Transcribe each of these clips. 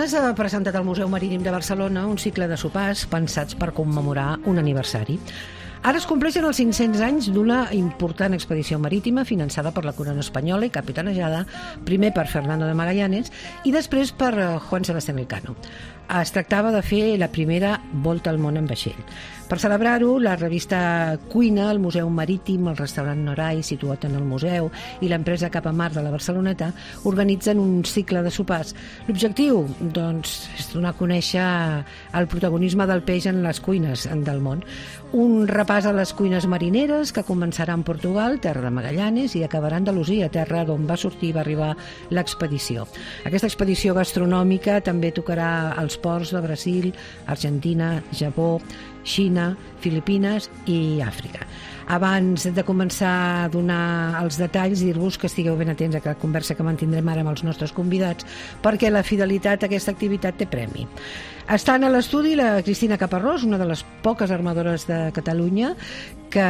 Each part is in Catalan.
setmanes ha presentat al Museu Marítim de Barcelona un cicle de sopars pensats per commemorar un aniversari. Ara es compleixen els 500 anys d'una important expedició marítima finançada per la corona espanyola i capitanejada primer per Fernando de Magallanes i després per Juan Sebastián Elcano. Es tractava de fer la primera volta al món en vaixell. Per celebrar-ho, la revista Cuina, el Museu Marítim, el restaurant Noray, situat en el museu, i l'empresa Cap a Mar de la Barceloneta organitzen un cicle de sopars. L'objectiu, doncs, és donar a conèixer el protagonisme del peix en les cuines del món. Un repàs a les cuines marineres que començarà en Portugal, terra de Magallanes, i acabarà a Andalusia, terra d'on va sortir i va arribar l'expedició. Aquesta expedició gastronòmica també tocarà als ports de Brasil, Argentina, Japó, Xina, Filipines i Àfrica. Abans de començar a donar els detalls, dir-vos que estigueu ben atents a la conversa que mantindrem ara amb els nostres convidats, perquè la fidelitat a aquesta activitat té premi. Estan a l'estudi la Cristina Caparrós, una de les poques armadores de Catalunya que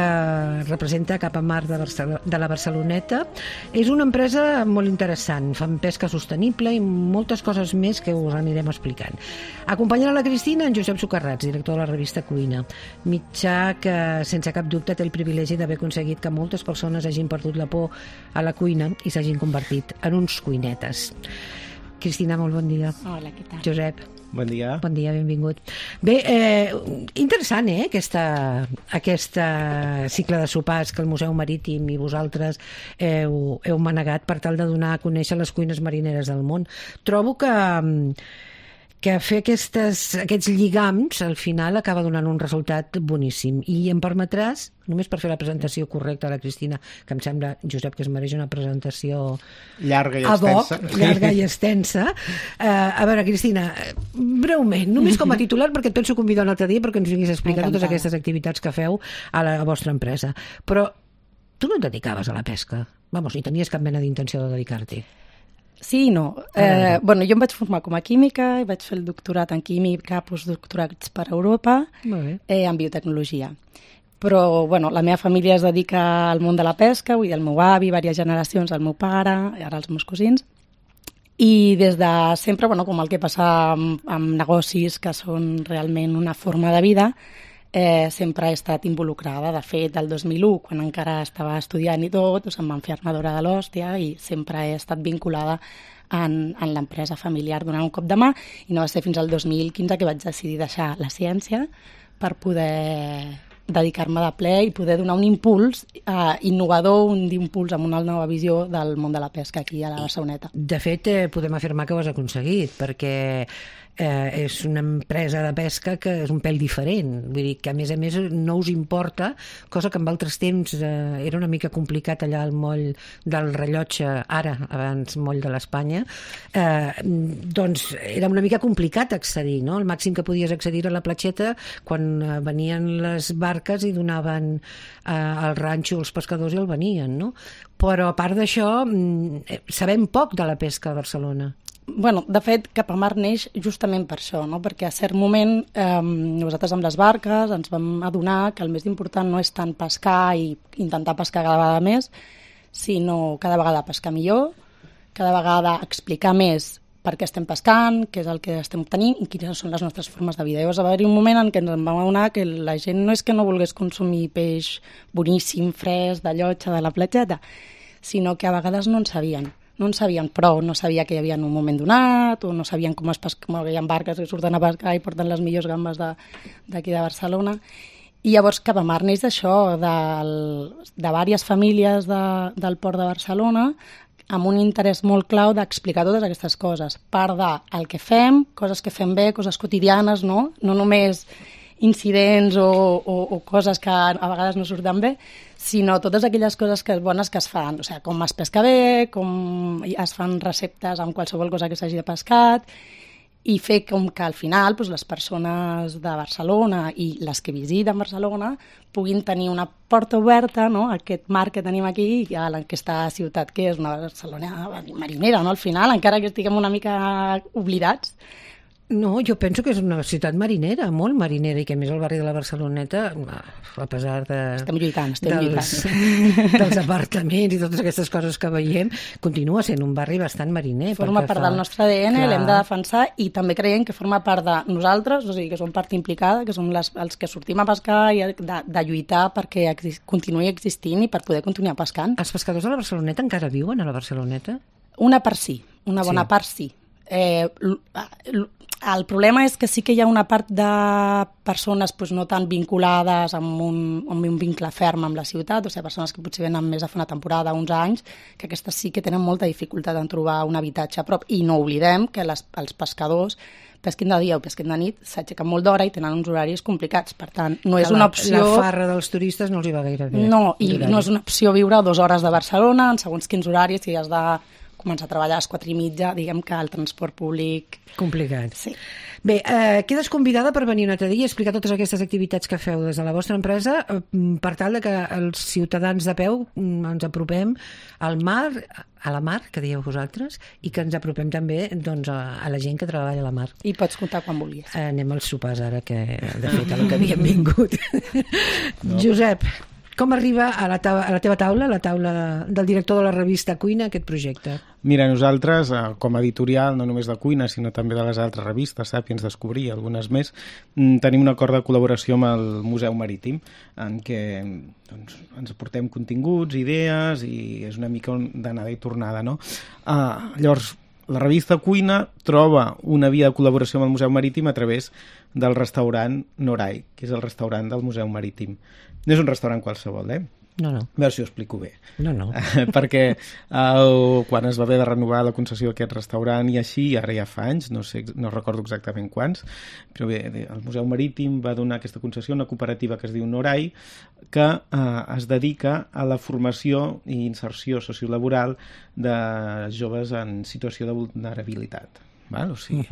representa Cap a Mar de la Barceloneta. És una empresa molt interessant, fan pesca sostenible i moltes coses més que us anirem explicant. Acompanyant a la Cristina, en Josep Socarrats, director de la revista Cuina, mitjà que sense cap dubte té el privilegi d'haver aconseguit que moltes persones hagin perdut la por a la cuina i s'hagin convertit en uns cuinetes. Cristina, molt bon dia. Hola, què tal? Josep. Bon dia. Bon dia, benvingut. Bé, interessant, aquesta cicle de sopars que el Museu Marítim i vosaltres heu manegat per tal de donar a conèixer les cuines marineres del món. Trobo que fer aquests lligams al final acaba donant un resultat boníssim. I em permetràs, només per fer la presentació correcta a la Cristina, que em sembla, Josep, que es mereix una presentació llarga i extensa. A veure, Cristina, breument, només com a titular, perquè et penso convidar un altre dia perquè ens vinguis a explicar totes aquestes activitats que feu a la vostra empresa. Però tu no et dedicaves a la pesca, ni tenies cap mena d'intenció de dedicar-t'hi. Sí i no. Jo em vaig formar com a química i vaig fer el doctorat en química, postdoctorats per Europa, en biotecnologia. Però la meva família es dedica al món de la pesca, vull dir, el meu avi, diverses generacions, el meu pare, ara els meus cosins, i des de sempre, com el que passa amb negocis que són realment una forma de vida, sempre he estat involucrada. De fet, el 2001, quan encara estava estudiant i tot, em van fer armadora de l'hòstia i sempre he estat vinculada en l'empresa familiar donant un cop de mà, i no va ser fins al 2015 que vaig decidir deixar la ciència per poder dedicar-me de ple i poder donar un impuls innovador, un impuls amb una nova visió del món de la pesca aquí a la Barceloneta. De fet, podem afirmar que ho has aconseguit, perquè és una empresa de pesca que és un pèl diferent. Vull dir que, a més, no us importa, cosa que en altres temps era una mica complicat allà al moll del Rellotge, ara, abans moll de l'Espanya, doncs era una mica complicat accedir, no? El màxim que podies accedir a la platxeta quan venien les barques i donaven al ranxo els pescadors i el venien, no? Però a part d'això, sabem poc de la pesca a Barcelona. De fet, Cap a Mar neix justament per això, no? Perquè a cert moment nosaltres amb les barques ens vam adonar que el més important no és tant pescar i intentar pescar cada vegada més, sinó cada vegada pescar millor, cada vegada explicar més per què estem pescant, què és el que estem obtenint i quines són les nostres formes de vida. Llavors va haver-hi un moment en què ens vam adonar que la gent no és que no volgués consumir peix boníssim, fresc, de llotja, de la platgeta, sinó que a vegades no en sabien. No en sabien prou, no sabia que hi havia en un moment donat, o no sabien com es pesca, com hi ha barques que surten a pescar i porten les millors gambes d'aquí de Barcelona. I llavors Cap a Mar neix d'això, de diverses famílies del port de Barcelona, amb un interès molt clau d'explicar totes aquestes coses. Part del que fem, coses que fem bé, coses quotidianes, no només incidents o coses que a vegades no surten bé, sinó totes aquelles coses bones que es fan, o sigui, com es pesca bé, com es fan receptes amb qualsevol cosa que s'hagi de pescat, i fer com que al final les persones de Barcelona i les que visiten Barcelona puguin tenir una porta oberta, no?, a aquest mar que tenim aquí, a aquesta ciutat que és una Barcelona marinera, no?, al final, encara que estiguem una mica oblidats, No, jo penso que és una ciutat marinera, molt marinera, i que a més el barri de la Barceloneta, a pesar de... Estem lluitant. dels apartaments i totes aquestes coses que veiem, continua sent un barri bastant mariner. Forma part del nostre ADN, l'hem de defensar, i també creiem que forma part de nosaltres, o sigui, que som part implicada, que som els que sortim a pescar i de lluitar perquè continuï existint i per poder continuar pescant. Els pescadors de la Barceloneta encara viuen a la Barceloneta? Una part sí, una bona part sí. El problema és que sí que hi ha una part de persones no tan vinculades amb un vincle ferm amb la ciutat, o sigui, persones que potser venen més a fer una temporada, uns anys, que aquestes sí que tenen molta dificultat en trobar un habitatge a prop. I no oblidem que els pescadors, pesquin de dia o pesquin de nit, s'aixequen molt d'hora i tenen uns horaris complicats. Per tant, no és una opció... La farra dels turistes no els hi va gaire bé. No, i no és una opció viure 2 hores de Barcelona en segons quins horaris, si has de començar a treballar a les 4:30, diguem que el transport públic... Complicat. Sí. Bé, quedes convidada per venir un altre dia a explicar totes aquestes activitats que feu des de la vostra empresa per tal de que els ciutadans de peu ens apropem al mar, a la mar, que dieu vosaltres, i que ens apropem també doncs, a la gent que treballa a la mar. I pots comptar quan vulguis. Anem als sopars ara, que de fet a lo que havíem vingut. No. Josep, com arriba a la teva taula, a la taula del director de la revista Cuina, aquest projecte? Mira, nosaltres, com a editorial, no només de Cuina, sinó també de les altres revistes, Sàpiens, Descobrir, algunes més, tenim un acord de col·laboració amb el Museu Marítim, en què doncs, ens aportem continguts, idees, i és una mica d'anada i tornada, no? Llavors, la revista Cuina troba una via de col·laboració amb el Museu Marítim a través del restaurant Norai, que és el restaurant del Museu Marítim. No és un restaurant qualsevol, No. A veure si ho explico bé. No. Perquè quan es va haver de renovar la concessió d'aquest restaurant i així, ara ja fa anys, no recordo exactament quants, però bé, el Museu Marítim va donar aquesta concessió a una cooperativa que es diu Norai, que es dedica a la formació i inserció sociolaboral de joves en situació de vulnerabilitat. Val? O sigui,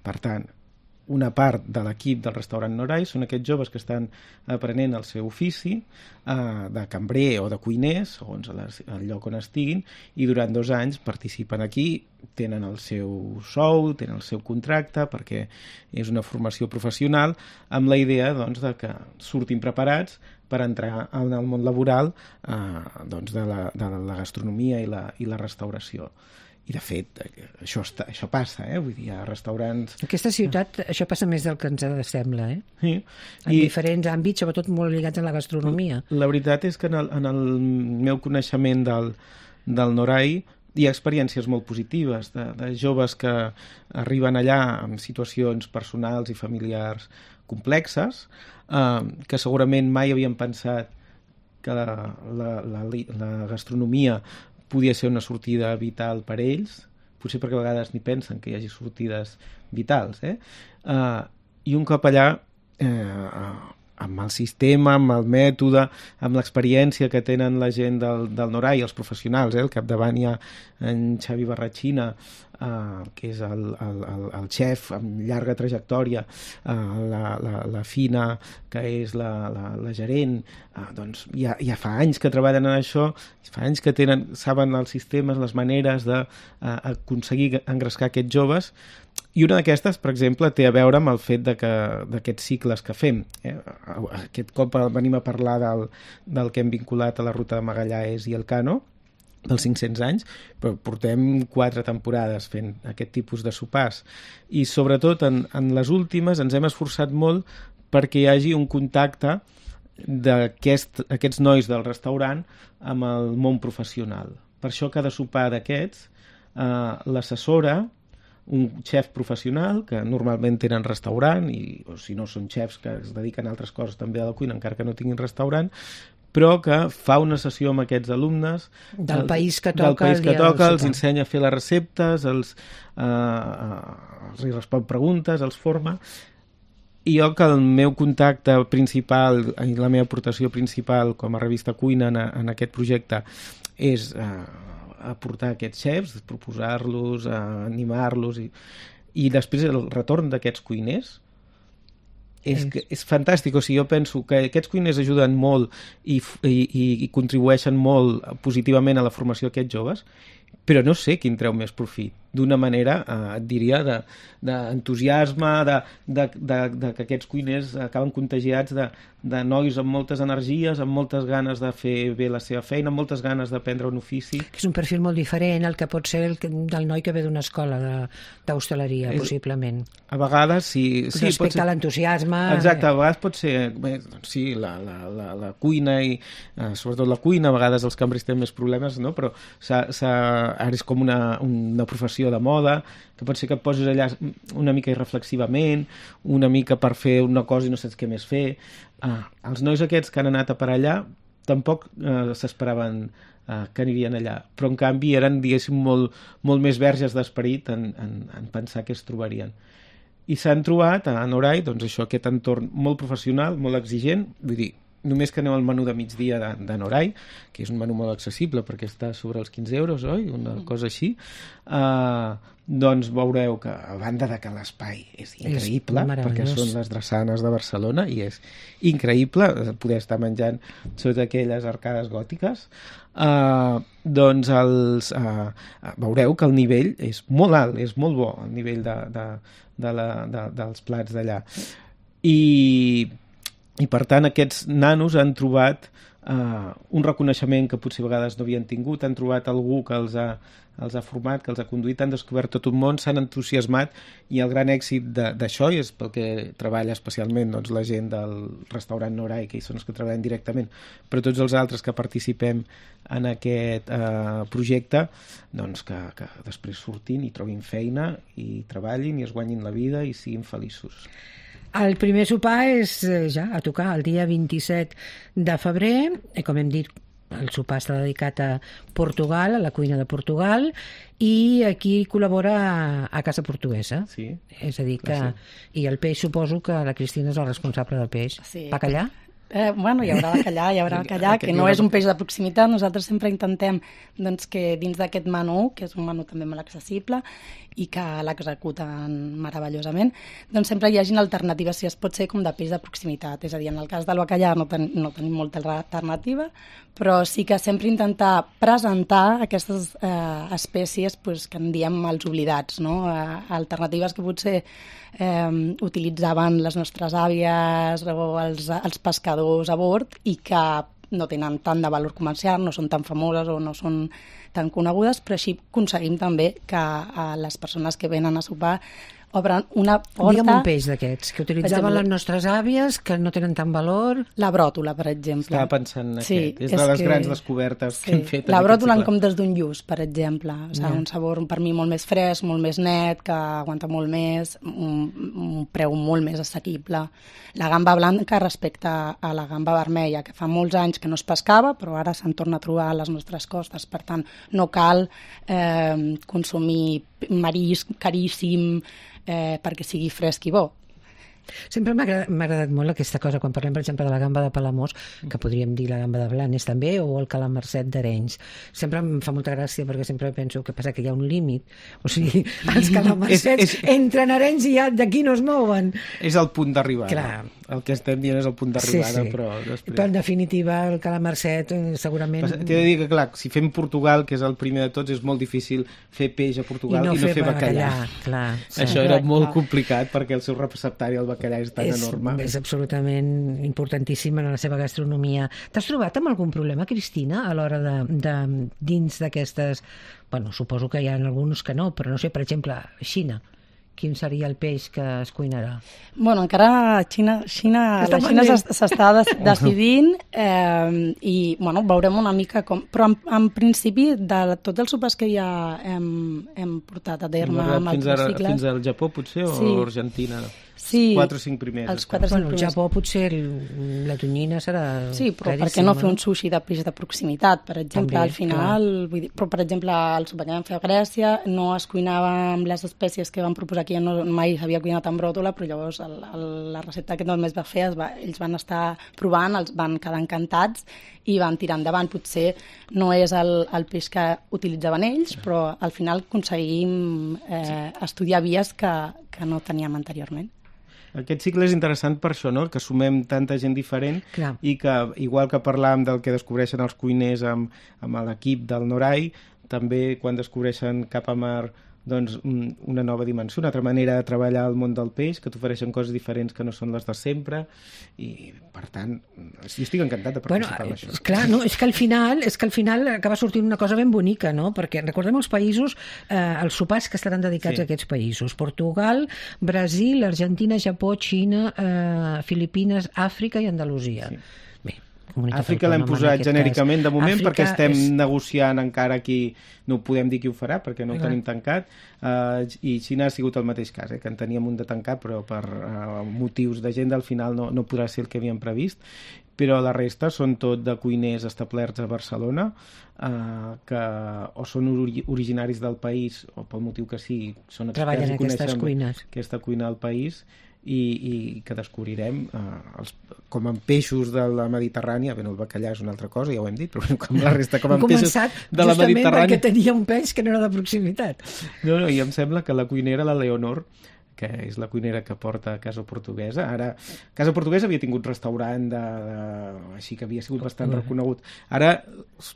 per tant, una part de l'equip del restaurant Norai són aquests joves que estan aprenent el seu ofici de cambrer o de cuiner, segons el lloc on estiguin, i durant 2 anys participen aquí, tenen el seu sou, tenen el seu contracte, perquè és una formació professional, amb la idea doncs, de que surtin preparats per entrar en el món laboral doncs, de la gastronomia i la restauració. I, de fet, això passa, vull dir, hi ha restaurants... Aquesta ciutat, això passa més del que ens sembla, Sí. En diferents àmbits, sobretot molt lligats a la gastronomia. La veritat és que en el meu coneixement del Norai hi ha experiències molt positives de joves que arriben allà amb situacions personals i familiars complexes, que segurament mai havien pensat que la gastronomia podia ser una sortida vital per ells, potser perquè a vegades ni pensen que hi hagi sortides vitals, i un cop allà, amb el sistema, amb el mètode, amb l'experiència que tenen la gent del Norai, els professionals, al capdavant hi ha en Xavi Barratxina, que és el xef amb llarga trajectòria, la Fina, que és la gerent, doncs ja fa anys que treballen en això, fa anys que saben els sistemes, les maneres d'aconseguir engrescar aquests joves, i una d'aquestes, per exemple, té a veure amb el fet d'aquests cicles que fem. Aquest cop venim a parlar del que hem vinculat a la ruta de Magallanes i el Cano, dels 500 anys, però portem 4 temporades fent aquest tipus de sopars. I sobretot en les últimes ens hem esforçat molt perquè hi hagi un contacte d'aquests nois del restaurant amb el món professional. Per això cada sopar d'aquests l'assessora un xef professional, que normalment tenen restaurant, o si no són xefs que es dediquen a altres coses també a la cuina, encara que no tinguin restaurant, però que fa una sessió amb aquests alumnes del país que toca, els ensenya a fer les receptes, els respon preguntes, els forma. I jo que el meu contacte principal i la meva aportació principal com a revista Cuina en aquest projecte és aportar aquests xefs, proposar-los, animar-los i després el retorn d'aquests cuiners és fantàstic. O sigui, jo penso que aquests cuiners ajuden molt i contribueixen molt positivament a la formació d'aquests joves, però no sé quin treu més profit. d'una manera, et diria, d'entusiasme, que aquests cuiners acaben contagiats de nois amb moltes energies, amb moltes ganes de fer bé la seva feina, amb moltes ganes d'aprendre un ofici. És un perfil molt diferent el que pot ser del noi que ve d'una escola d'hostaleria, possiblement. A vegades, sí. Respecte a l'entusiasme... Exacte, a vegades pot ser... Bé, doncs sí, la cuina i sobretot la cuina, a vegades els cambres tenen més problemes, no? Però ara és com una professió de moda, que pot ser que et posis allà una mica irreflexivament, una mica per fer una cosa i no saps què més fer. Els nois aquests que han anat a per allà tampoc s'esperaven que anirien allà, però en canvi eren, diguéssim, molt més verges d'esperit en pensar què es trobarien. I s'han trobat a Norai, doncs això, aquest entorn molt professional, molt exigent, vull dir, només que aneu al menú de migdia de Norai, que és un menú molt accessible perquè està sobre els 15 euros, oi? Una cosa així, doncs veureu que, a banda de que l'espai és increïble, perquè són les drassanes de Barcelona, i és increïble poder estar menjant sota aquelles arcades gòtiques, doncs veureu que el nivell és molt alt, és molt bo, el nivell dels plats d'allà. I per tant aquests nanos han trobat un reconeixement que potser a vegades no havien tingut, han trobat algú que els ha format, que els ha conduït, han descobert tot un món, s'han entusiasmat, i el gran èxit d'això, i és pel que treballa especialment doncs, la gent del restaurant Norai, que són els que treballen directament, però tots els altres que participem en aquest projecte, doncs que després surtin i trobin feina i treballin i es guanyin la vida i siguin feliços. El primer sopar és ja a tocar el dia 27 de febrer, com hem dit, el sopar està dedicat a Portugal, a la cuina de Portugal, i aquí col·labora a Casa Portuguesa. Sí. És a dir que... I el peix, suposo que la Cristina és la responsable del peix. Sí. Bacallà? Bueno, hi haurà bacallà, que no és un peix de proximitat. Nosaltres sempre intentem doncs, que dins d'aquest menú, que és un menú també molt accessible i que l'executen meravellosament, doncs sempre hi hagin alternatives, si es pot ser com de peix de proximitat. És a dir, en el cas del bacallà no tenim molta alternativa, però sí que sempre intentar presentar aquestes espècies pues, que en diem els oblidats, no? Alternatives que potser utilitzaven les nostres àvies o els pescadors a bord i que no tenen tant de valor comercial, no són tan famoses o no són tan conegudes, però així aconseguim també que les persones que venen a sopar obren una porta... Digue'm un peix d'aquests, que utilitzaven les nostres àvies, que no tenen tant valor... La bròtola, per exemple. Estava pensant en aquest. És de les grans descobertes que hem fet. La bròtola en comptes d'un lluç, per exemple. O sigui, un sabor per mi molt més fresc, molt més net, que aguanta molt més, un preu molt més assequible. La gamba blanca respecte a la gamba vermella, que fa molts anys que no es pescava, però ara se'n torna a trobar a les nostres costes. Per tant, no cal consumir marisc caríssim, perquè sigui fresc i bo. Sempre m'ha agradat molt aquesta cosa, quan parlem, per exemple, de la gamba de Palamós, que podríem dir la gamba de Blanes també, o el calamarset d'Arenys. Sempre em fa molta gràcia, perquè sempre penso que passa que hi ha un límit. O sigui, els calamarsets entren a Arenys i ja d'aquí no es mouen. És el punt d'arribada. Clar. El que estem dient és el punt d'arribada, però després... Però en definitiva, el calamarset segurament... T'he de dir que, clar, si fem Portugal, que és el primer de tots, és molt difícil fer peix a Portugal i no fer bacallà. Clar, això era molt complicat, perquè el seu receptari, el bacallà, és tan enorme. És absolutament importantíssim en la seva gastronomia. T'has trobat amb algun problema, Cristina, a l'hora de dins d'aquestes... Bueno, suposo que hi ha alguns que no, però no sé, per exemple, Xina. Quin seria el peix que es cuinarà? Bueno, encara la Xina s'està decidint i bueno, veurem una mica com... Però en principi, de tots els sopars que ja hem portat a terme amb els cicles... Fins al Japó, potser, o Argentina? Sí, 4 o 5 primers. Els 4 o 5 primers. El Japó potser la tonyina serà... Sí, però per què no fer un sushi de peix de proximitat, per exemple, també, al final... Vull dir, però, per exemple, el sopar que vam fer a Grècia no es cuinava amb les espècies que van proposar aquí, no, mai s'havia cuinat amb bròtola, però llavors la recepta que només va fer, ells van estar provant, els van quedar encantats i van tirar endavant. Potser no és el peix que utilitzaven ells, però al final aconseguim estudiar vies que no teníem anteriorment. Aquest cicle és interessant per això, no? Que sumem tanta gent diferent. Clar. I que, igual que parlàvem del que descobreixen els cuiners amb l'equip del Norai, també quan descobreixen cap a mar doncs, una nova dimensió, una altra manera de treballar al món del peix, que t'ofereixen coses diferents que no són les de sempre, i per tant jo estic encantat de participar en això. Clar, no, és que al final acaba sortint una cosa ben bonica, no? Perquè recordem els països, els sopars que estaran dedicats a aquests països: Portugal, Brasil, Argentina, Japó, Xina, Filipines, Àfrica i Andalusia. Sí. Àfrica l'hem posat genèricament de moment perquè estem negociant encara qui no podem dir qui ho farà perquè no ho tenim tancat, i Xina ha sigut el mateix cas, que en teníem un de tancat però per motius d'agenda al final no podrà ser el que havíem previst, però la resta són tot de cuiners establerts a Barcelona, que o són originaris del país o pel motiu que sigui són experts i coneixen aquesta cuina al país, i que descobrirem com en peixos de la Mediterrània. Bé, el bacallà és una altra cosa, ja ho hem dit, però com la resta, com en peixos de la Mediterrània. Justament perquè tenia un peix que no era de proximitat. No, i em sembla que la cuinera, la Leonor, que és la cuinera que porta Casa Portuguesa. Ara, Casa Portuguesa havia tingut restaurant així que havia sigut bastant reconegut. Ara,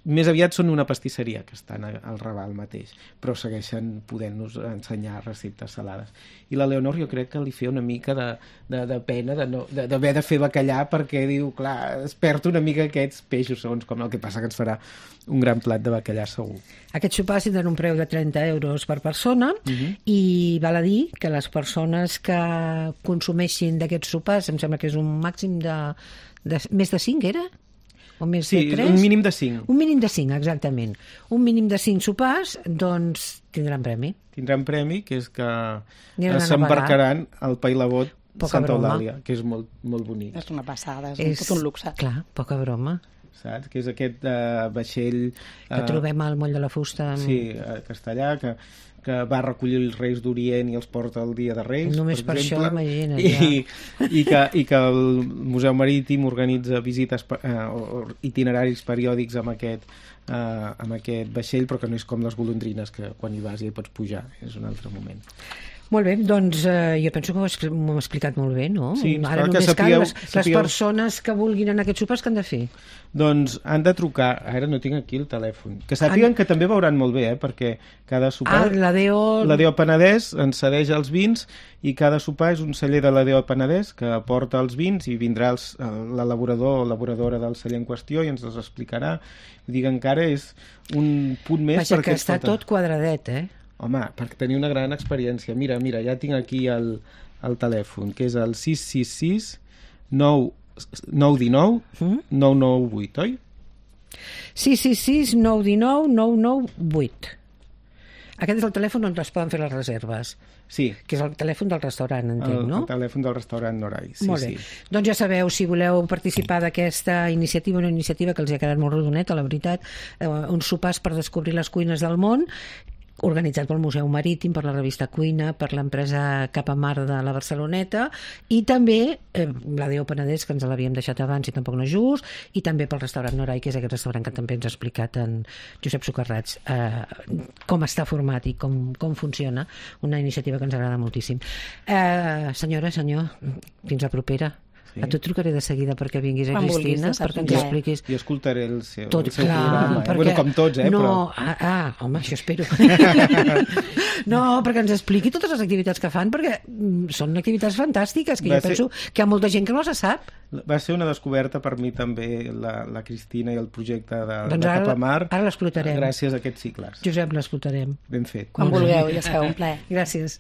més aviat són una pastisseria que estan al Raval mateix, però segueixen podent-nos ensenyar receptes salades. I la Leonor jo crec que li feia una mica de pena d'haver de fer bacallà perquè diu, clar, es perd una mica aquests peixos, segons com el que passa que ens farà un gran plat de bacallà segur. Aquests sopars tindran un preu de 30 euros per persona i val a dir que les persones que consumeixin d'aquests sopars, em sembla que és un màxim de més de 5, era? O més de 3? Un mínim de 5. Un mínim de 5, exactament. Un mínim de 5 sopars, doncs tindran premi. Tindran premi, que és que s'embarcaran al Pailabot Santa Eulàlia, que és molt, molt bonic. És una passada, és tot un luxe. Clar, poca broma. Saps? Que és aquest vaixell... Que trobem al Moll de la Fusta. Sí, a Castellà, que va recollir els Reis d'Orient i els porta el dia de Reis. Només per això, imagina't. I que el Museu Marítim organitza visites itineraris periòdics amb aquest vaixell, però que no és com les golondrines, que quan hi vas ja hi pots pujar, és un altre moment. Molt bé, doncs jo penso que m'ho hem explicat molt bé, no? Sí, ara només cal les persones que vulguin anar a aquests sopars, que han de fer? Doncs han de trucar, ara no tinc aquí el telèfon, que sàpiguen que també veuran molt bé, perquè cada sopar... L'Adeo Penedès ens cedeix els vins i cada sopar és un celler de l'Adeo Penedès que aporta els vins i vindrà l'elaborador o elaboradora del celler en qüestió i ens els explicarà. Vull dir que encara és un punt més... Vaja, que està tot quadradet, Home, per tenir una gran experiència. Mira, ja tinc aquí el telèfon, que és el 666 919 998, oi? 666 919 998. Aquest és el telèfon on es poden fer les reserves. Sí. Que és el telèfon del restaurant, entenc, no? El telèfon del restaurant Norai, sí. Molt bé. Doncs ja sabeu, si voleu participar d'aquesta iniciativa, una iniciativa que els ha quedat molt rodoneta, la veritat, uns sopars per descobrir les cuines del món, organitzat pel Museu Marítim, per la revista Cuina, per l'empresa Cap a Mar de la Barceloneta, i també l'Adeo Penedès, que ens l'havíem deixat abans i tampoc no és just, i també pel restaurant Norai, que és aquest restaurant que també ens ha explicat en Josep Socarrats com està format i com funciona, una iniciativa que ens agrada moltíssim. Senyora, senyor, fins la propera. A tu trucaré de seguida perquè vinguis a Cristina, perquè ens expliquis... Jo escoltaré el seu programa. Bueno, com tots, però... Home, això espero. No, perquè ens expliqui totes les activitats que fan, perquè són activitats fantàstiques, que jo penso que hi ha molta gent que no se sap. Va ser una descoberta per mi també la Cristina i el projecte de Cap a Mar. Ara l'explotarem. Gràcies a aquests cicles. Josep, l'explotarem. Ben fet. Quan vulgueu, ja sabeu, un plaer. Gràcies.